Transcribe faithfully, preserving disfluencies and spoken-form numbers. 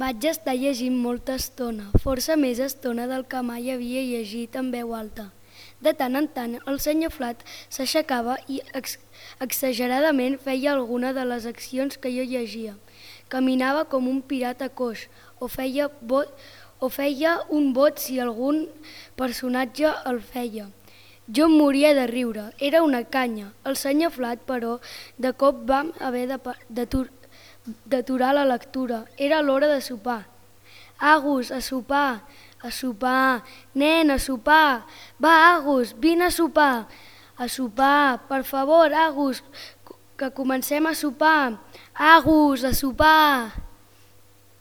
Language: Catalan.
Vaig estar llegint molta estona, força més estona del que mai havia llegit en veu alta. De tant en tant el senyor Flat s'aixecava i ex exageradament feia alguna de les accions que jo llegia. Caminava com un pirata coix o feia, bot, o feia un bot si algun personatge el feia. Jo em moria de riure, era una canya. El senyor Flat, però, de cop vam haver d'aturar la lectura. Era l'hora de sopar. Agus, a sopar, a sopar, nen, a sopar. Va, Agus, vine a sopar. A sopar, per favor, Agus, que comencem a sopar. Agus, a sopar.